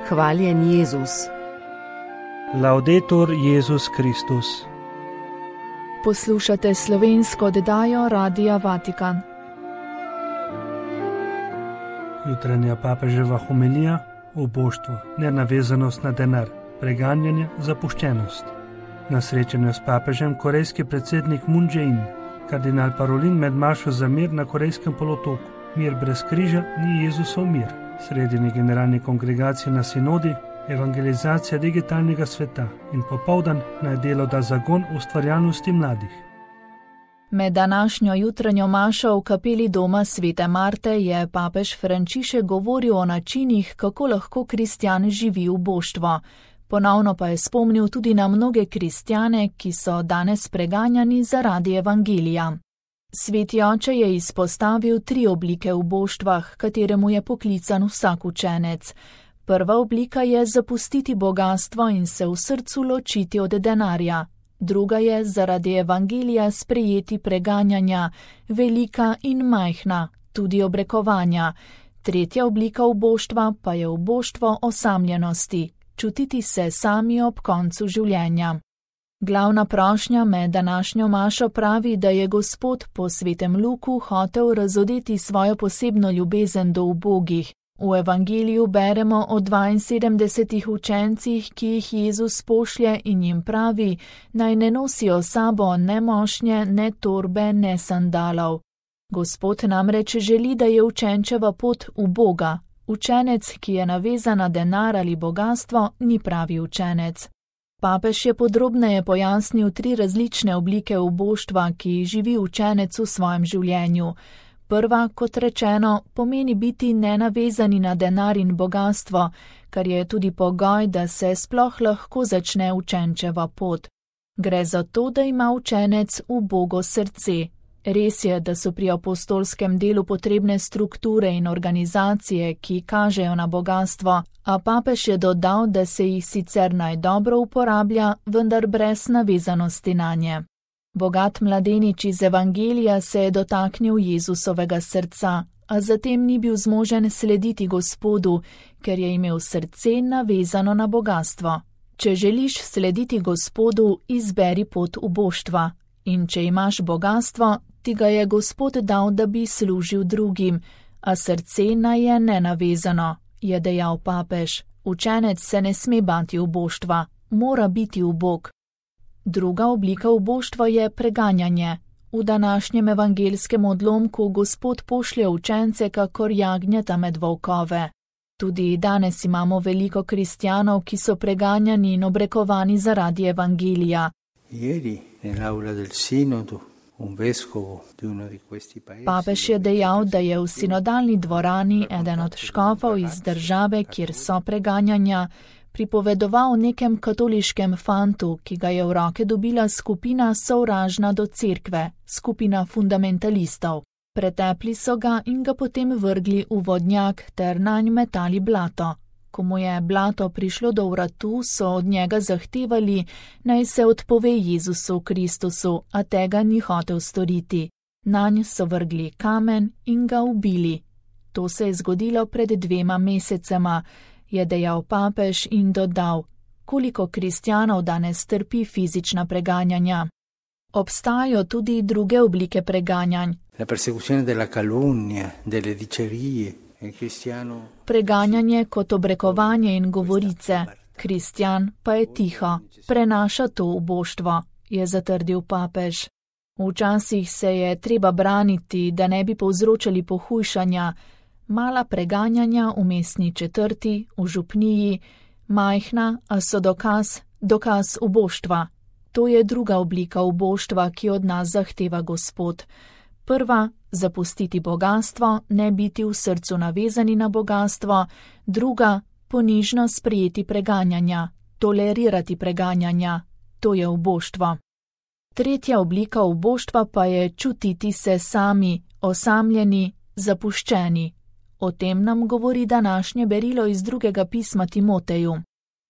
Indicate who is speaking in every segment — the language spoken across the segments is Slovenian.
Speaker 1: Hvaljen Jezus.
Speaker 2: Laudetur Jezus Kristus.
Speaker 3: Poslušate slovensko oddajo Radia Vatikan.
Speaker 2: Jutranja papeževa homilija, oboštvo, nenavezanost na denar, preganjanje, zapuščenost. Na srečanju s papežem korejski predsednik Moon Jae-in, kardinal Parolin med mašo za mir na korejskem polotoku. Mir brez križa ni Jezusov mir. Sredini generalni kongregaciji na sinodi, evangelizacija digitalnega sveta in popoldan naj delo da zagon ustvarjalnosti mladih.
Speaker 3: Med današnjo jutranjo mašo v kapeli doma Svete Marte je papež Frančišek govoril o načinih, kako lahko kristjan živi uboštvo. Ponovno pa je spomnil tudi na mnoge kristjane, ki so danes preganjani zaradi evangelija. Sveti oče je izpostavil 3 oblike uboštva, kateremu je poklican vsak učenec. Prva oblika je zapustiti bogastvo in se v srcu ločiti od denarja. Druga je zaradi evangelija sprejeti preganjanja, velika in majhna, tudi obrekovanja. Tretja oblika uboštva pa je uboštvo osamljenosti, čutiti se sami ob koncu življenja. Glavna prošnja med današnjo mašo pravi, da je Gospod po svetem Luku hotel razodeti svojo posebno ljubezen do ubogih. V evangeliju beremo o 72 učencih, ki jih Jezus pošlje in jim pravi, naj ne nosijo sabo ne mošnje, ne torbe, ne sandalov. Gospod namreč želi, da je učenčeva pot uboga. Učenec, ki je navezan na denar ali bogastvo, ni pravi učenec. Papež je podrobneje pojasnil 3 različne oblike uboštva, ki živi učenec v svojem življenju. Prva, kot rečeno, pomeni biti nenavezani na denar in bogastvo, kar je tudi pogoj, da se sploh lahko začne učenčeva pot. Gre za to, da ima učenec ubogo srce. Res je, da so pri apostolskem delu potrebne strukture in organizacije, ki kažejo na bogastvo, a papež je dodal, da se jih sicer naj dobro uporablja, vendar brez navezanosti nanje. Bogat mladenič iz evangelija se je dotaknil Jezusovega srca, a zatem ni bil zmožen slediti Gospodu, ker je imel srce navezano na bogastvo. Če želiš slediti Gospodu, izberi pot uboštva. In če imaš bogastvo, ti ga je Gospod dal, da bi služil drugim, a srce naj je nenavezano, je dejal papež. Učenec se ne sme bati uboštva, mora biti ubog. Druga oblika uboštva je preganjanje. V današnjem evangelskem odlomku Gospod pošlje učence kakor jagnjeta med volkove. Tudi danes imamo veliko kristjanov, ki so preganjani in obrekovani zaradi evangelija. Papež je dejal, da je v sinodalni dvorani eden od škofov iz države, kjer so preganjanja, pripovedoval o nekem katoliškem fantu, ki ga je v roke dobila skupina sovražna do cerkve, skupina fundamentalistov. Pretepli so ga in ga potem vrgli v vodnjak ter nanj metali blato. Ko mu je blato prišlo do vratu, so od njega zahtevali, naj se odpove Jezusu Kristusu, a tega ni hotel storiti. Nanj so vrgli kamen in ga ubili. To se je zgodilo pred 2 mesecema, je dejal papež in dodal, koliko kristjanov danes trpi fizična preganjanja. Obstajajo tudi druge oblike preganjanj. Preganjanje kot obrekovanje in govorice. Kristjan pa je tiho, prenaša to uboštvo, je zatrdil papež. Včasih se je treba braniti, da ne bi povzročali pohujšanja. Mala preganjanja v mestni četrti, v župniji, majhna, a so dokaz uboštva. To je druga oblika uboštva, ki od nas zahteva Gospod. Prva, zapustiti bogastvo, ne biti v srcu navezani na bogastvo. Druga, ponižno sprejeti preganjanja, tolerirati preganjanja. To je uboštvo. Tretja oblika uboštva pa je čutiti se sami, osamljeni, zapuščeni. O tem nam govori današnje berilo iz 2. pisma Timoteju.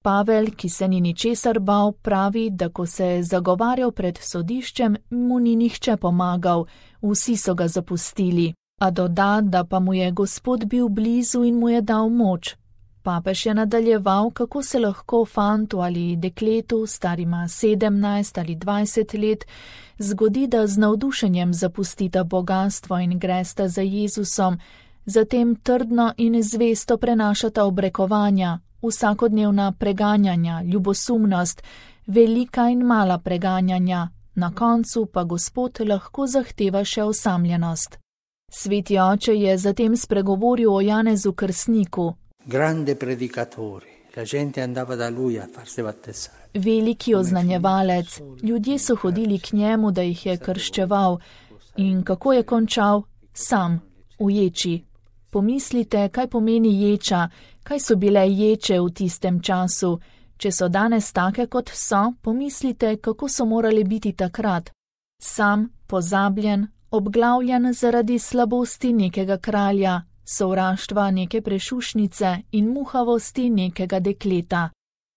Speaker 3: Pavel, ki se ni ničesar bal, pravi, da ko se je zagovarjal pred sodiščem, mu ni nihče pomagal, vsi so ga zapustili. A doda, da pa mu je Gospod bil blizu in mu je dal moč. Papež je nadaljeval, kako se lahko fantu ali dekletu, starima 17 ali 20 let, zgodi, da z navdušenjem zapustita bogastvo in gresta za Jezusom, zatem trdno in zvesto prenašata obrekovanja, vsakodnevna preganjanja, ljubosumnost, velika in mala preganjanja, na koncu pa Gospod lahko zahteva še osamljenost. Sveti oče je zatem spregovoril o Janezu Krstniku.
Speaker 1: Grande predicatore, la gente andava da lui a farsi battezzare.
Speaker 3: Veliki oznanjevalec, ljudje so hodili k njemu, da jih je krščeval. In kako je končal? Sam, v ječi. Pomislite, kaj pomeni ječa, kaj so bile ječe v tistem času. Če so danes take, kot so, pomislite, kako so morali biti takrat. Sam, pozabljen, obglavljen zaradi slabosti nekega kralja, sovraštva neke prešušnice in muhavosti nekega dekleta.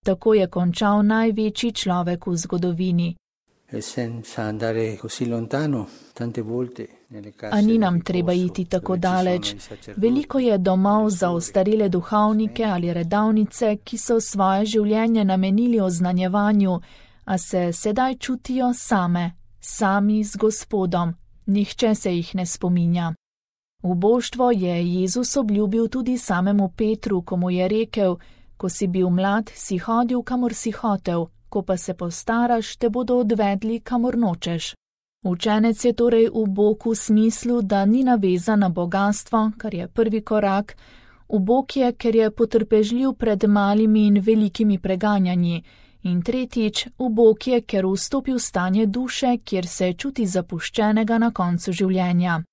Speaker 3: Tako je končal največji človek v zgodovini. A ni nam treba iti tako daleč. Veliko je domov za ostarele duhovnike ali redavnice, ki so svoje življenje namenili oznanjevanju, a se sedaj čutijo sami z Gospodom. Nihče se jih ne spominja. Uboštvo je Jezus obljubil tudi samemu Petru, ko mu je rekel: ko si bil mlad, si hodil, kamor si hotel, ko pa se postaraš, te bodo odvedli, kamor nočeš. Učenec je torej ubog v smislu, da ni navezan na bogastvo, kar je prvi korak. Ubog je, ker je potrpežljiv pred malimi in velikimi preganjanji. In tretjič, ubog je, ker vstopi v stanje duše, kjer se čuti zapuščenega na koncu življenja.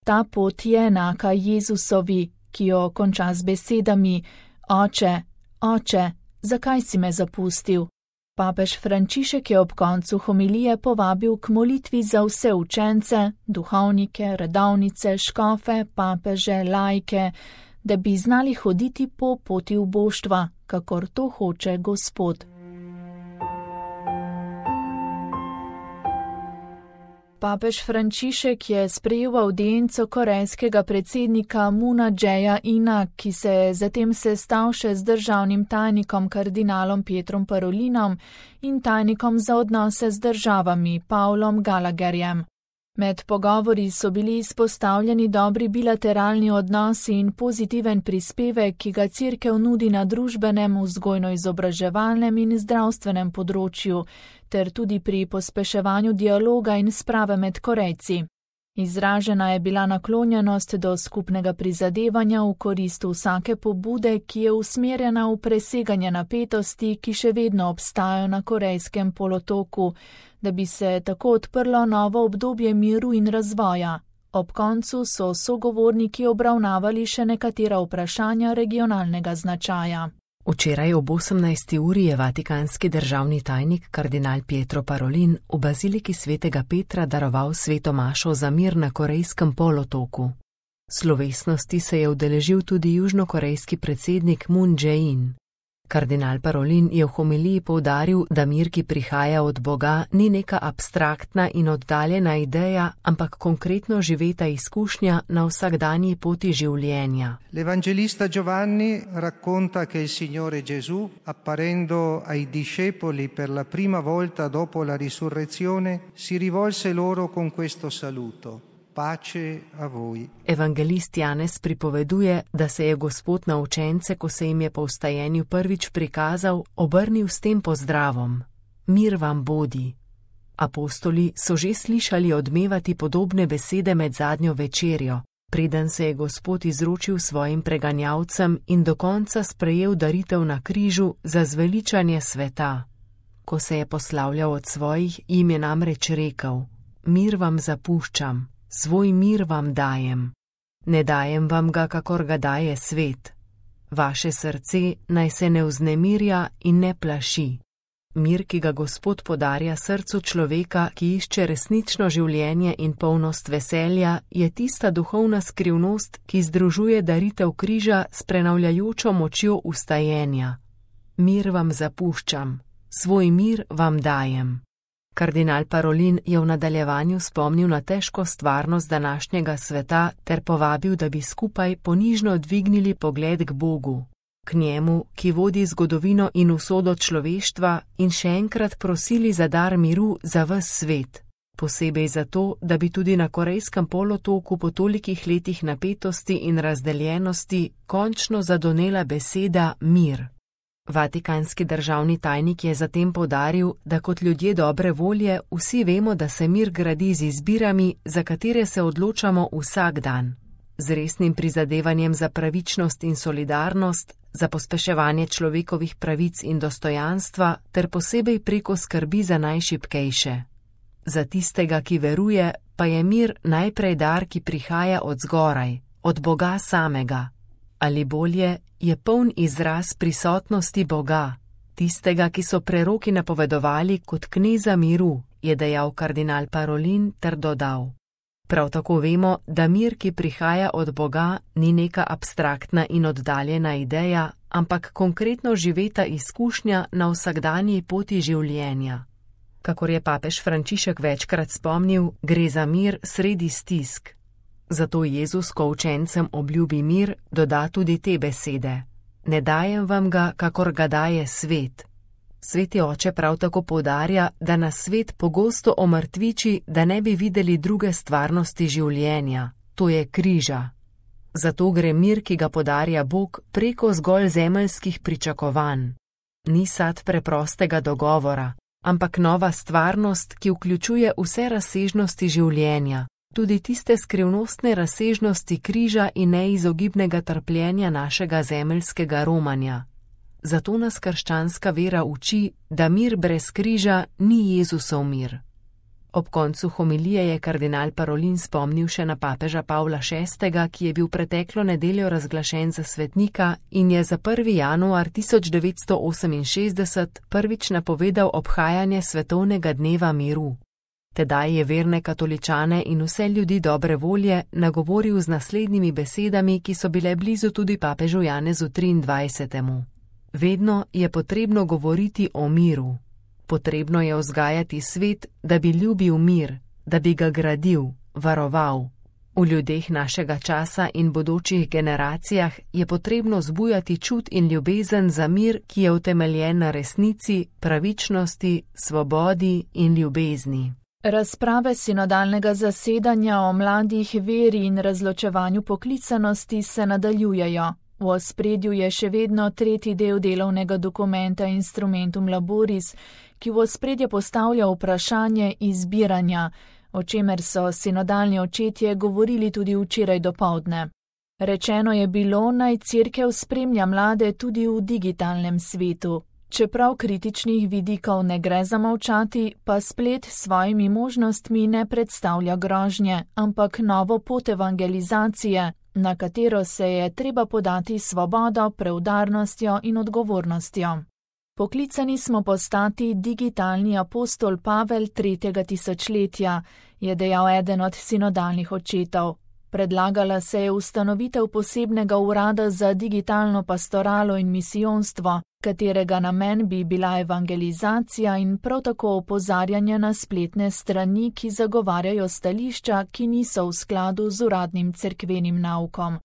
Speaker 3: Ta pot je enaka Jezusovi, ki jo konča z besedami: Oče, Oče, zakaj si me zapustil? Papež Frančišek je ob koncu homilije povabil k molitvi za vse učence, duhovnike, redavnice, škofe, papeže, laike, da bi znali hoditi po poti uboštva, kakor to hoče Gospod. Papež Frančišek je sprejel avdienco korejskega predsednika Moona Jae-ina, ki se je zatem sestal še z državnim tajnikom kardinalom Pietrom Parolinom in tajnikom za odnose z državami Paulom Gallagherjem. Med pogovori so bili izpostavljeni dobri bilateralni odnosi in pozitiven prispevek, ki ga Cerkev nudi na družbenem, vzgojno-izobraževalnem in zdravstvenem področju, ter tudi pri pospeševanju dialoga in sprave med Korejci. Izražena je bila naklonjenost do skupnega prizadevanja v korist vsake pobude, ki je usmerjena v preseganje napetosti, ki še vedno obstajajo na Korejskem polotoku, da bi se tako odprlo novo obdobje miru in razvoja. Ob koncu so sogovorniki obravnavali še nekatera vprašanja regionalnega značaja.
Speaker 4: Včeraj ob 18. uri je vatikanski državni tajnik kardinal Pietro Parolin v baziliki svetega Petra daroval sveto mašo za mir na Korejskem polotoku. Slovesnosti se je udeležil tudi južnokorejski predsednik Moon Jae-in. Kardinal Parolin je v homiliji poudaril, da mir, ki prihaja od Boga, ni neka abstraktna in oddaljena ideja, ampak konkretno živeta izkušnja na vsakdanji poti življenja.
Speaker 5: L'Evangelista Giovanni racconta che il Signore Gesù, apparendo ai discepoli per la prima volta dopo la risurrezione, si rivolse loro con questo saluto. Pace a voi.
Speaker 4: Evangelist Janez pripoveduje, da se je Gospod na učence, ko se jim je po vstajenju prvič prikazal, obrnil s tem pozdravom: Mir vam bodi. Apostoli so že slišali odmevati podobne besede med zadnjo večerjo, preden se je Gospod izročil svojim preganjalcem in do konca sprejel daritev na križu za zveličanje sveta. Ko se je poslavljal od svojih, jim je namreč rekel: Mir vam zapuščam. Svoj mir vam dajem. Ne dajem vam ga, kakor ga daje svet. Vaše srce naj se ne vznemirja in ne plaši. Mir, ki ga Gospod podarja srcu človeka, ki išče resnično življenje in polnost veselja, je tista duhovna skrivnost, ki združuje daritev križa s prenavljajočo močjo vstajenja. Mir vam zapuščam. Svoj mir vam dajem. Kardinal Parolin je v nadaljevanju spomnil na težko stvarnost današnjega sveta ter povabil, da bi skupaj ponižno dvignili pogled k Bogu. k njemu, ki vodi zgodovino in usodo človeštva, in še enkrat prosili za dar miru za ves svet. Posebej zato, da bi tudi na Korejskem polotoku po tolikih letih napetosti in razdeljenosti končno zadonela beseda mir. Vatikanski državni tajnik je zatem poudaril, da kot ljudje dobre volje vsi vemo, da se mir gradi z izbirami, za katere se odločamo vsak dan. Z resnim prizadevanjem za pravičnost in solidarnost, za pospeševanje človekovih pravic in dostojanstva ter posebej preko skrbi za najšibkejše. Za tistega, ki veruje, pa je mir najprej dar, ki prihaja od zgoraj, od Boga samega. Ali bolje, je poln izraz prisotnosti Boga, tistega, ki so preroki napovedovali kot kneza miru, je dejal kardinal Parolin ter dodal. Prav tako vemo, da mir, ki prihaja od Boga, ni neka abstraktna in oddaljena ideja, ampak konkretno živeta izkušnja na vsakdanji poti življenja. Kakor je papež Frančišek večkrat spomnil, gre za mir sredi stisk. Zato Jezus, ko učencem obljubi mir, doda tudi te besede. Ne dajem vam ga, kakor ga daje svet. Sveti oče prav tako poudarja, da nas svet pogosto omrtviči, da ne bi videli druge stvarnosti življenja, to je križa. Zato gre mir, ki ga podarja Bog, preko zgolj zemeljskih pričakovanj. Ni sad preprostega dogovora, ampak nova stvarnost, ki vključuje vse razsežnosti življenja, tudi tiste skrivnostne razsežnosti križa in neizogibnega trpljenja našega zemeljskega romanja. Zato nas krščanska vera uči, da mir brez križa ni Jezusov mir. Ob koncu homilije je kardinal Parolin spomnil še na papeža Pavla VI., ki je bil preteklo nedeljo razglašen za svetnika in je za 1. januar 1968 prvič napovedal obhajanje svetovnega dneva miru. Tedaj je verne katoličane in vse ljudi dobre volje nagovoril z naslednjimi besedami, ki so bile blizu tudi papežu Janezu 23. Vedno je potrebno govoriti o miru. Potrebno je vzgajati svet, da bi ljubil mir, da bi ga gradil, varoval. V ljudeh našega časa in bodočih generacijah je potrebno zbujati čut in ljubezen za mir, ki je utemeljen na resnici, pravičnosti, svobodi in ljubezni.
Speaker 3: Razprave sinodalnega zasedanja o mladih, veri in razločevanju poklicanosti se nadaljujejo. V ospredju je še vedno tretji del delovnega dokumenta Instrumentum Laboris, ki v ospredje postavlja vprašanje izbiranja, o čemer so sinodalni očetje govorili tudi včeraj dopoldne. Rečeno je bilo, naj Cerkev spremlja mlade tudi v digitalnem svetu. Čeprav kritičnih vidikov ne gre zamolčati, pa splet s svojimi možnostmi ne predstavlja grožnje, ampak novo pot evangelizacije, na katero se je treba podati svobodo, preudarnostjo in odgovornostjo. Poklicani smo postati digitalni apostol Pavel 3. tisočletja, je dejal eden od sinodalnih očetov. Predlagala se je ustanovitev posebnega urada za digitalno pastoralo in misijonstvo, katerega namen bi bila evangelizacija in prav tako opozarjanje na spletne strani, ki zagovarjajo stališča, ki niso v skladu z uradnim cerkvenim naukom.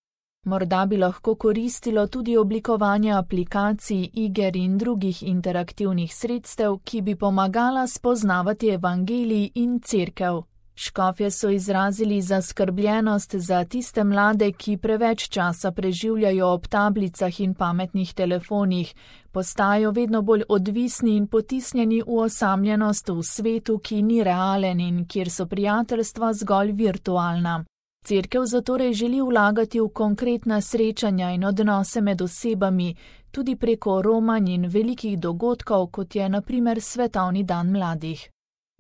Speaker 3: Morda bi lahko koristilo tudi oblikovanje aplikacij, iger in drugih interaktivnih sredstev, ki bi pomagala spoznavati evangelij in cerkev. Škofje so izrazili zaskrbljenost za tiste mlade, ki preveč časa preživljajo ob tablicah in pametnih telefonih, postajajo vedno bolj odvisni in potisnjeni v osamljenost v svetu, ki ni realen in kjer so prijateljstva zgolj virtualna. Cerkev zatorej želi vlagati v konkretna srečanja in odnose med osebami, tudi preko romanj in velikih dogodkov, kot je na primer Svetovni dan mladih.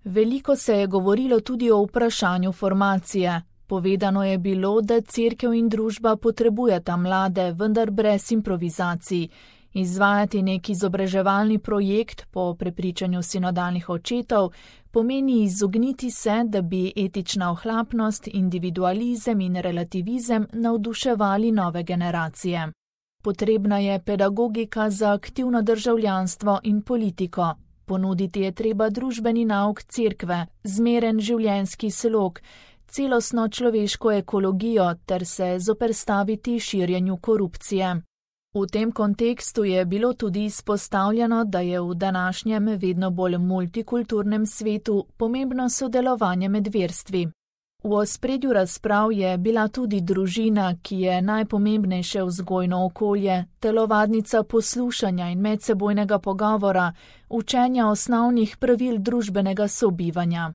Speaker 3: Veliko se je govorilo tudi o vprašanju formacije. Povedano je bilo, da cerkev in družba potrebujeta mlade, vendar brez improvizacij. Izvajati nek izobraževalni projekt po prepričanju sinodalnih očetov pomeni izogniti se, da bi etična ohlapnost, individualizem in relativizem navduševali nove generacije. Potrebna je pedagogika za aktivno državljanstvo in politiko. Ponuditi je treba družbeni nauk cerkve, zmeren življenjski slog, celostno človeško ekologijo ter se zoperstaviti širjenju korupcije. V tem kontekstu je bilo tudi izpostavljeno, da je v današnjem vedno bolj multikulturnem svetu pomembno sodelovanje med verstvi. V ospredju razprav je bila tudi družina, ki je najpomembnejše vzgojno okolje, telovadnica poslušanja in medsebojnega pogovora, učenja osnovnih pravil družbenega sobivanja.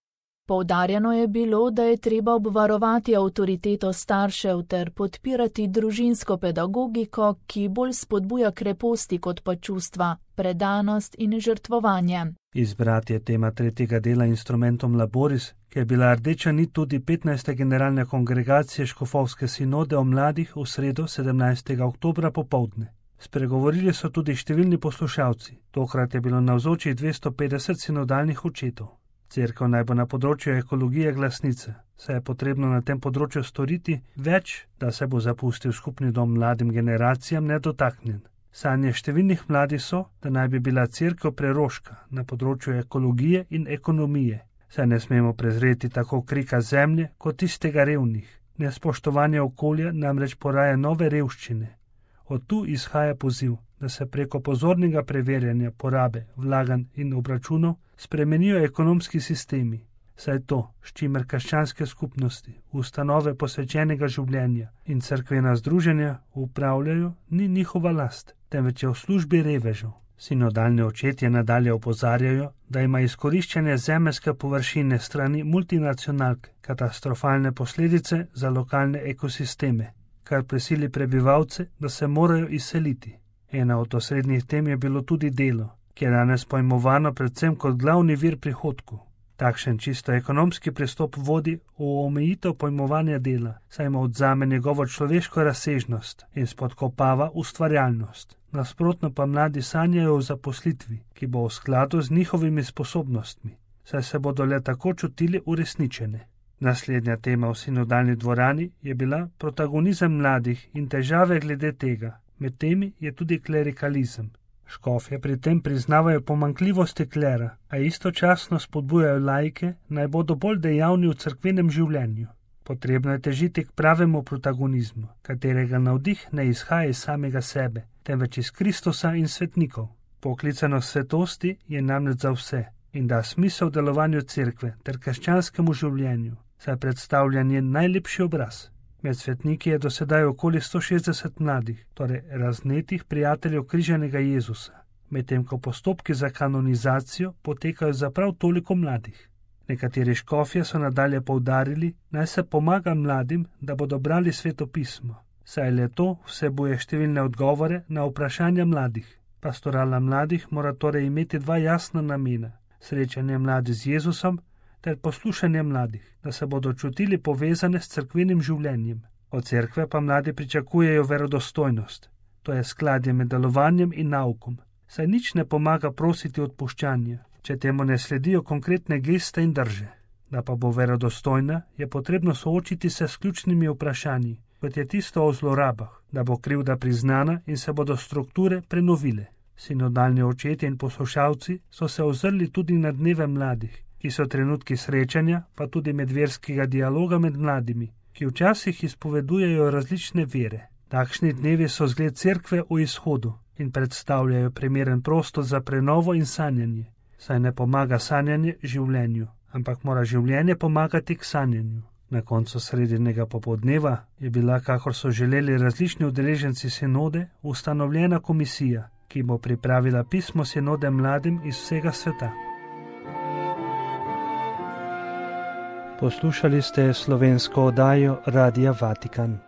Speaker 3: Poudarjeno je bilo, da je treba obvarovati avtoriteto staršev ter podpirati družinsko pedagogiko, ki bolj spodbuja kreposti kot pa čustva, predanost in žrtvovanje.
Speaker 2: Izbrati je tema tretjega dela Instrumentum Laboris, ki je bila rdeča nit tudi 15. generalne kongregacije Škofovske sinode o mladih v sredo 17. oktobra popoldne. Spregovorili so tudi številni poslušalci, tokrat je bilo navzočih 250 sinodalnih očetov. Cerkev naj bo na področju ekologije glasnica, saj je potrebno na tem področju storiti več, da se bo zapustil skupni dom mladim generacijam nedotaknjen. Sanje številnih mladih so, da naj bi bila cerkev preroška na področju ekologije in ekonomije, saj ne smemo prezreti tako krika zemlje kot tistega revnih. Nespoštovanje okolja namreč poraja nove revščine. Od tu izhaja poziv, da se preko pozornega preverjanja porabe, vlaganj in obračunov spremenijo ekonomski sistemi, saj to, s čimer krščanske skupnosti, ustanove posvečenega življenja in cerkvena združenja upravljajo, ni njihova last, temveč je v službi revežev. Sinodalni očetje nadalje opozarjajo, da ima izkoriščanje zemeljske površine strani multinacionalk katastrofalne posledice za lokalne ekosisteme, kar prisili prebivalce, da se morajo izseliti. Ena od osrednjih tem je bilo tudi delo, ki je danes pojmovano predvsem kot glavni vir prihodkov. Takšen čisto ekonomski pristop vodi v omejitev pojmovanja dela, saj mu odzame njegovo človeško razsežnost in spodkopava ustvarjalnost. Nasprotno pa mladi sanjajo o zaposlitvi, ki bo v skladu z njihovimi sposobnostmi, saj se bodo le tako čutili uresničene. Naslednja tema v sinodalni dvorani je bila protagonizem mladih in težave glede tega. Med temi je tudi klerikalizem. Škofje pri tem priznavajo pomanjkljivosti klera, a istočasno spodbujajo laike, naj bodo bolj dejavni v cerkvenem življenju. Potrebno je težiti k pravemu protagonizmu, katerega navdih ne izhaja iz samega sebe, temveč iz Kristusa in svetnikov. Poklicanost svetosti je namreč za vse in da smisel delovanju cerkve ter krščanskemu življenju, saj predstavlja njen najlepši obraz. Med svetniki je do sedaj okoli 160 mladih, torej raznetih prijateljev križanega Jezusa, medtem ko postopki za kanonizacijo potekajo za prav toliko mladih. Nekateri škofje so nadalje poudarili, naj se pomaga mladim, da bodo brali Sveto pismo, saj le to vsebuje številne odgovore na vprašanja mladih. Pastorala mladih mora torej imeti dva jasna namena: srečanje mladih z Jezusom ter poslušanje mladih, da se bodo čutili povezane s cerkvenim življenjem. Od cerkve pa mladi pričakujejo verodostojnost, to je skladje med delovanjem in naukom, saj nič ne pomaga prositi odpuščanja, če temu ne sledijo konkretne geste in drže. Da pa bo verodostojna, je potrebno soočiti se s ključnimi vprašanji, kot je tisto o zlorabah, da bo krivda priznana in se bodo strukture prenovile. Sinodalni očetje in poslušalci so se ozrli tudi na dneve mladih, ki so trenutki srečanja, pa tudi medverskega dialoga med mladimi, ki včasih izpovedujejo različne vere. Takšni dnevi so zgled cerkve v izhodu in predstavljajo primeren prostor za prenovo in sanjanje, saj ne pomaga sanjanje življenju, ampak mora življenje pomagati k sanjanju. Na koncu sredinega popoldneva je bila, kakor so želeli različni udeleženci sinode, ustanovljena komisija, ki bo pripravila pismo sinode mladim iz vsega sveta. Poslušali ste slovensko oddajo Radia Vatikan.